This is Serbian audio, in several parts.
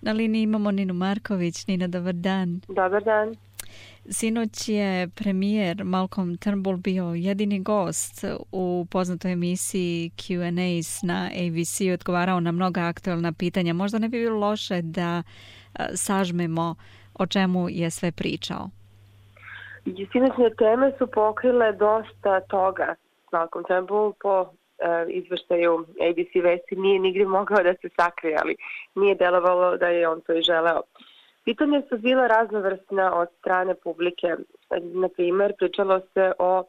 Na liniji imamo Ninu Marković. Nina, dobar dan. Dobar dan. Sinoć je premijer Malcolm Turnbull bio jedini gost u poznatoj emisiji Q&A na ABC, odgovarao na mnoga aktualna pitanja. Možda ne bi bilo loše da sažmemo o čemu je sve pričao. Sinoćne teme su pokrile dosta toga. Malcolm Turnbull po izveštaju ABC vesti nije nigdje mogao da se sakrije, ali nije delovalo da je on to i želeo. Pitanja su bila raznovrsna od strane publike. Na primjer, pričalo se o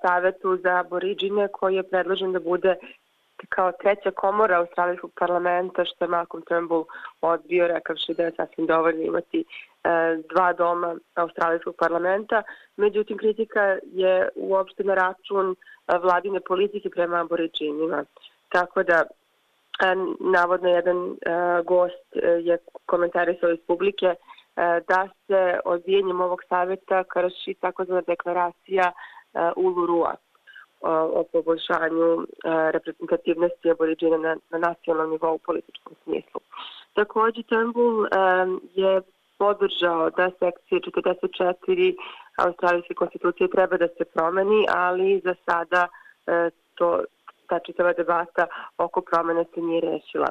savetu za Aboriđine koji je predložen da bude kao treća komora australijskog parlamenta, što je Malcolm Turnbull odbio, rekavši da je sasvim dovoljno imati dva doma australijskog parlamenta. Međutim, kritika je uopšte na račun vladine politike prema Aboriđinima. Tako da, navodno jedan gost je komentarisao iz publike da se odbijanjem ovog savjeta krši takozvana deklaracija Ulurua o poboljšanju reprezentativnosti Aboriđina na nacionalnom nivou u političkom smislu. Također, Turnbull je podržao da sekcija 44 australijske konstitucije treba da se promeni, ali za sada ta čitava debata oko promene se nije rešila.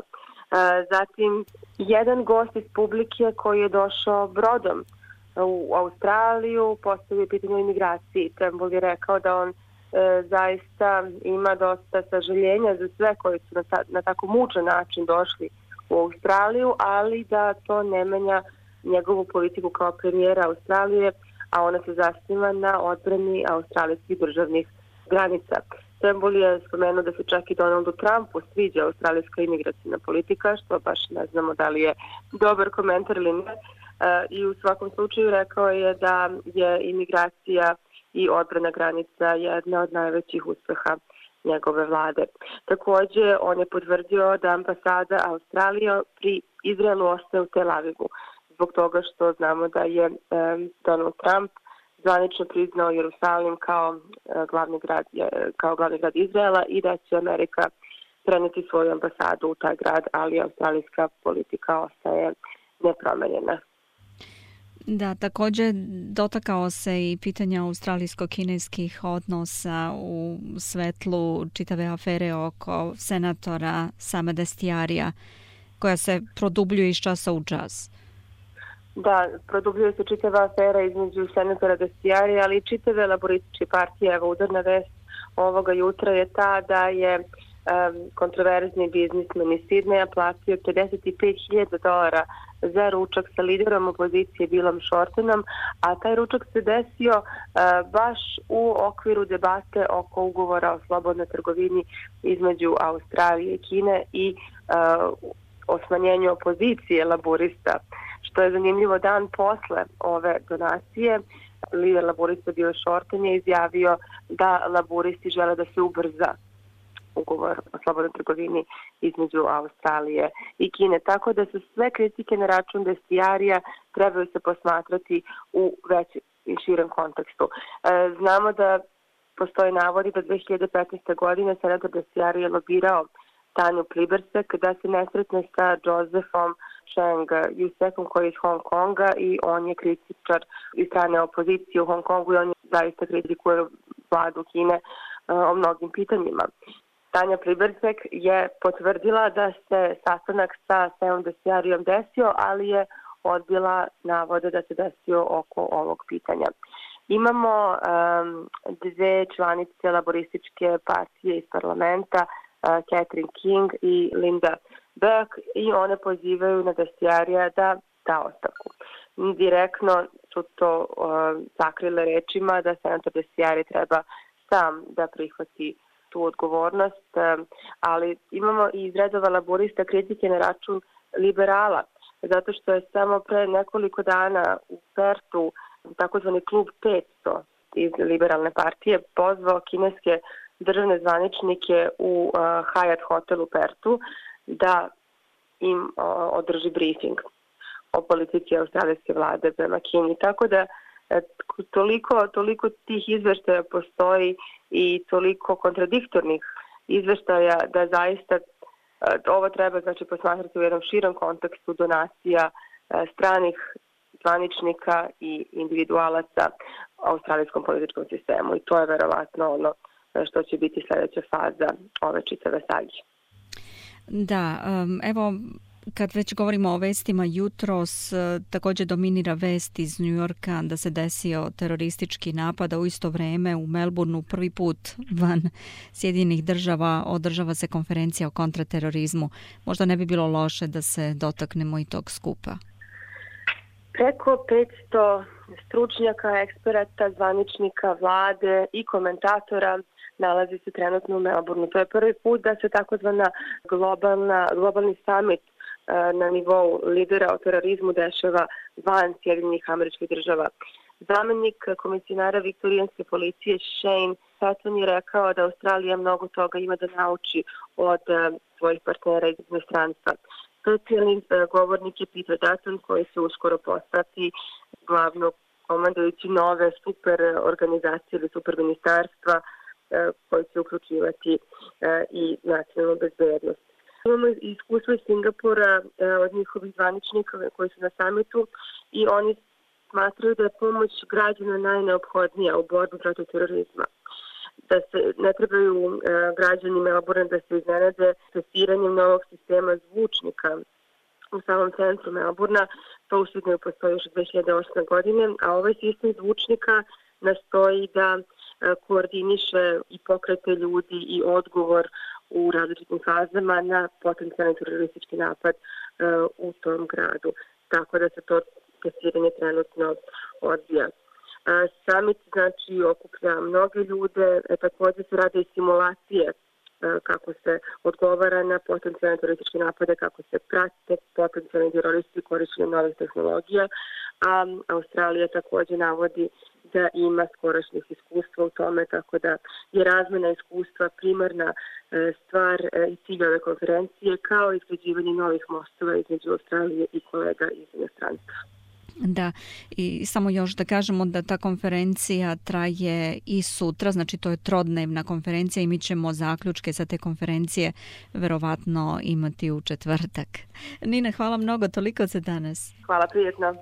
Zatim, jedan gost iz publike koji je došao brodom u Australiju postavio pitanje o imigraciji. Turnbull je rekao da on zaista ima dosta sažaljenja za sve koji su na tako mučan način došli u Australiju, ali da to ne menja njegovu politiku kao premijera Australije, a ona se zasniva na odbrani australijskih državnih granica. Turnbull je spomenuo da se čak i Donaldu Trumpu sviđa australijska imigracijna politika, što baš ne znamo da li je dobar komentar ili ne. I u svakom slučaju rekao je da je imigracija i odbrana granica jedna od najvećih uspeha njegove vlade. Također, on je potvrdio da ambasada Australije pri Izraelu ostaje u Tel Avivu, zbog toga što znamo da je Donald Trump zvanično priznao Jerusalim kao glavni grad Izraela i da će Amerika preneti svoju ambasadu u taj grad, ali australijska politika ostaje nepromenjena. Da, također dotakao se i pitanja australijsko-kineskih odnosa u svetlu čitave afere oko senatora Sama Dastyarija, koja se produbljuje iz časa u čas. Da, produbljuje se čitava afera između senatora Dastyarija, ali i čitave laborističke partije. Evo, udarna vest ovoga jutra je ta da je kontroverzni biznismen iz Sidneja platio $55,000 za ručak sa liderom opozicije Billom Shortenom, a taj ručak se desio baš u okviru debate oko ugovora o slobodnoj trgovini između Australije i Kine i o smanjenju opozicije laborista. Što je zanimljivo, dan posle ove donacije, lider laborista Bill Shorten je izjavio da laboristi žele da se ubrza ugovor o slobodnoj trgovini između Australije i Kine. Tako da su sve kritike na račun Dastyarija trebaju se posmatrati u većem i širem kontekstu. Znamo da postoji navodi da 2015. godine senator Dastyarija je lobirao Tanju Plibersek da se ne sretne sa Josephom Cheng Yusekom koji je iz Hong Konga i on je kritičar iz strane opozicije u Hong Kongu i on je zaista kritikuje vladu Kine o mnogim pitanjima. Tanja Plibersek je potvrdila da se sastanak sa Samom Dastyarijom desio, ali je odbila navode da se desio oko ovog pitanja. Imamo dve članice laborističke partije iz parlamenta, Catherine King i Linda Burke, i one pozivaju na Dastyarija da da ostavku. Direktno su to sakrile rečima da senator Dastyari treba sam da prihvati tu odgovornost, ali imamo i iz redova laborista kritike na račun liberala, zato što je samo pre nekoliko dana u Pertu takozvani klub 500 iz liberalne partije pozvao kineske državne zvaničnike u Hyatt hotel u Pertu da im održi briefing o politici australijske vlade prema Kini. Tako da toliko tih izveštaja postoji i toliko kontradiktornih izveštaja da zaista Ovo treba znači posmatrati u jednom širom kontekstu donacija stranih zvaničnika i individualaca australijskom političkom sistemu i to je verovatno ono što će biti sljedeća faza ove čitave sage. Da, evo kad već govorimo o vestima, jutros također dominira vest iz New Yorka da se desio teroristički napad, a u isto vrijeme u Melbourneu prvi put van Sjedinjenih država održava se konferencija o kontraterorizmu. Možda ne bi bilo loše da se dotaknemo i tog skupa. Preko 500 stručnjaka, eksperata, zvaničnika, vlade i komentatora nalazi se trenutno u Melbourneu. To je prvi put da se takozvana globalni summit na nivou lidera o terorizmu dešava van Sjedinjenih Američkih Država. Zamenik komisionara viktorijanske policije Shane Patton je rekao da Australija mnogo toga ima da nauči od svojih partnera iz inostranstva. Specijalni govornik je Peter Dutton koji će uskoro postati glavno komandujući nove super organizacije ili super ministarstva koji će uključivati i nacionalnu bezbednost. Imamo iskustvo iz Singapura od njihovih zvaničnika koji su na samitu i oni smatraju da je pomoć građana najneophodnija u borbi protiv terorizma. Da se ne trebaju građani Melbourne da se iznenade testiranjem novog sistema zvučnika u samom centru Melbournea. To u Sidneju postoji još 2008. godine, a ovaj sistem zvučnika nastoji da koordiniše i pokrete ljudi i odgovor u različitim fazama na potencijalni teroristički napad u tom gradu. Tako da se to testiranje trenutno odvija. Summit znači okuplja mnoge ljude, također se rade i simulacije kako se odgovara na potencijalne terorističke napade, kako se prate potencijalni teroristi korištenjem novih tehnologija, a Australija također navodi da ima skorašnjih iskustva u tome, tako da je razmjena iskustva primarna stvar i cilj ove konferencije, kao i izgrađivanje novih mostova između Australije i kolega iz inostranstva. Da, i samo još da kažemo da ta konferencija traje i sutra, znači to je trodnevna konferencija i mi ćemo zaključke sa te konferencije verovatno imati u četvrtak. Nina, hvala mnogo, toliko za danas. Hvala, prijetno.